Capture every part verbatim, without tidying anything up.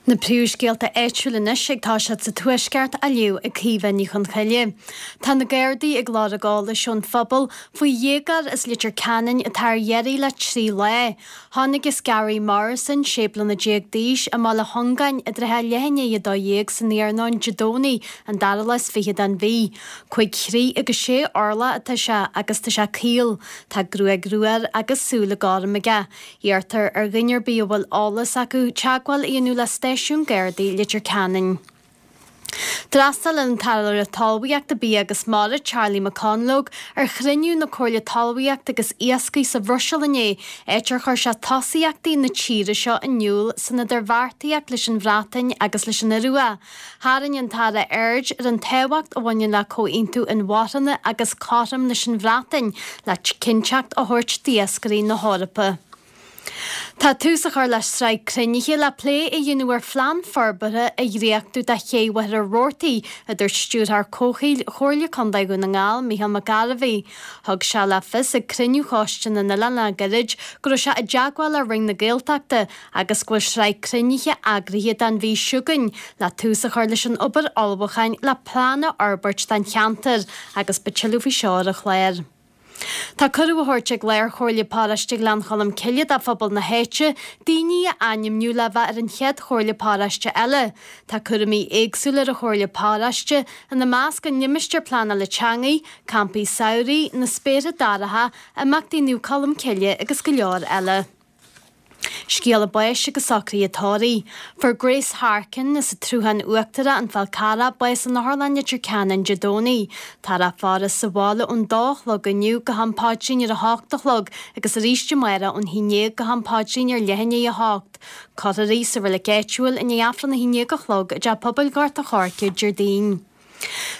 Na príomhscéalta áitiúla anois ag toiseacht sa Tuaisceart á léamh ag Caoimhe Ní Chonchoille. Tá na Gardaí ag lorg eolais ón phobal faoi dhéagóir as Leitir Ceanainn atá ar iarraidh le trí lá. Chonacthas Gary Morrison, sé bliana déag d'aois, i mBaile Chongáin i dtrátha leath i ndiaidh a dó dhéag san iarnóin Dé Domhnaigh, an dara lá is fiche den mhí. Cúig throigh agus sé orlach atá sé agus tá sé caol. Tá gruaig rua air agus súile gorm aige. Iarrtar ar dhuine ar bith a bhfuil eolas acu teagmháil a dhéanamh le Stáisiún Gardaí Leitir Ceanainn. D'fhreastail an tAire Talmhaíochta Bia agus Mara Charlie McConalogue ar chruinniú na Comhairle Talmhaíochta agus Iascaigh sa Bhruiséil inné, áit ar chuir sé tosaíochtaí na tíre seo in iúl san idirbheartaíocht leis an Bhreatain agus leis an Iorua. Tharraing an tAire aird ar an tábhacht a bhaineann le comhaontú inmharthana agus cothrom leis an Bhreatain le cinnteacht a thabhairt d'iascairí na hEorpa. Tá tús á chur le sraith cruinnithe le plé a dhéanamh ar phlean forbartha a dhréachtú do Ché Mhachaire Rabhartaigh, a dúirt Stiúrthóir Comhshaoil Chomhairle Contae Dhún na nGall, Micheál Mac Gairbhí. Thug sé le fios ag cruinniú Choiste na nOileán le gairid go raibh sé i dteagmháil le Roinn na Gaeltachta agus go bhfuil sraith cruinnithe eagraithe don mhí seo chugainn le tús a chur leis an obair ullmhúcháin le plean a fhorbairt don cheantar agus beidh tuilleadh faoi seo ar an chlár. Tá cuireadh á thabhairt ag Lár-Chomhairle Paróiste Ghleann Cholm Cille do phobal na háite daoine a ainmniú le bheith ar an chéad Chomhairle Paróiste eile. Tá cúraimí éagsúla ar an Chomhairle Paróiste, ina measc an Limistéar Pleanála Teangaí, Campaí Samhraidh, na Spéartha Dorcha, imeachtaí Naomh Colm Cille agus go leor eile. Scéala báis agus socruithe tórraimh. Fuair Grace Harkin as an tSruthán Uachtarach, An Fál Carrach, bás in Otharlann Leitir Ceanainn Dé Domhnaigh. Táthar á faire sa bhaile ón dó a chlog inniu go ham paidrín ar a hocht a chlog agus arís amárach ón haon déag go ham paidrín ar leath i ndiaidh a hocht. Cuirfear í sa reilig áitiúil i ndiaidh Aifreann a haon déag a chlog i dTeach Pobail Ghort a' Choirce Déardaoin.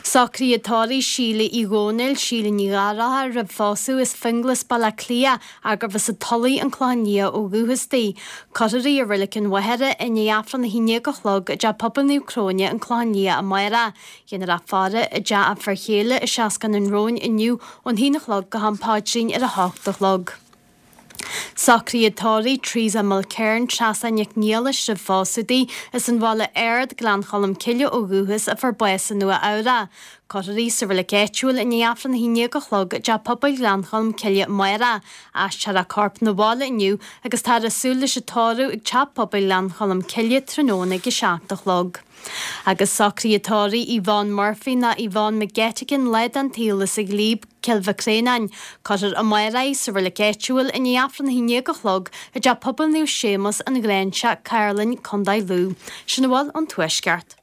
Socruithe tórraimh Síle Uí Dhónaill, Síle Ní Ghallchóir roimh phósadh as Finglas, Baile Átha Cliath, gurbh as an Tulaigh, An Clochán Liath ó dhúchas di. Cuirfear í i Reilig an Mhachaire i ndiaidh Aifreann a haon déag a chlog i dTeach Pobail Naomh Cróine, An Clochán Liath amárach. Déanfar a faire i dteach a fir chéile i Seascann an Róin inniu ón haon a chlog go ham paidrín ar a hocht a chlog. Socruithe tórraimh Teresa Mulkern, Treasa Nic Niallais roimh phósadh di, as an Bhaile Ard, Gleann Cholm Cille ó dhúchas, a fuair bás i Nua Eabhrac. Cuirfear í sa reilig áitiúil i ndiaidh Aifreann a haon déag a chlog i dTeach Pobail Ghleann Cholm Cille amárach. Aistreofar a corp 'na bhaile inniu agus táthar ag súil leis an tórramh ag Teach Pobail Ghleann Cholm Cille tráthnóna ag a seacht a chlog. Agus socruithe tórraimh Yvonne Murphy ná Yvonne McGettigan lá den tsaol as an Ghlíob, Cill Mhic Réanáin. Cuirfear amárach í sa reilig áitiúil i ndiaidh Aifreann a haon déag a chlog i dTeach Pobail Naomh Séamus, An Ghráinseach, Cairlinn, Contae Lú. Sin a bhfuil ón Tuaisceart.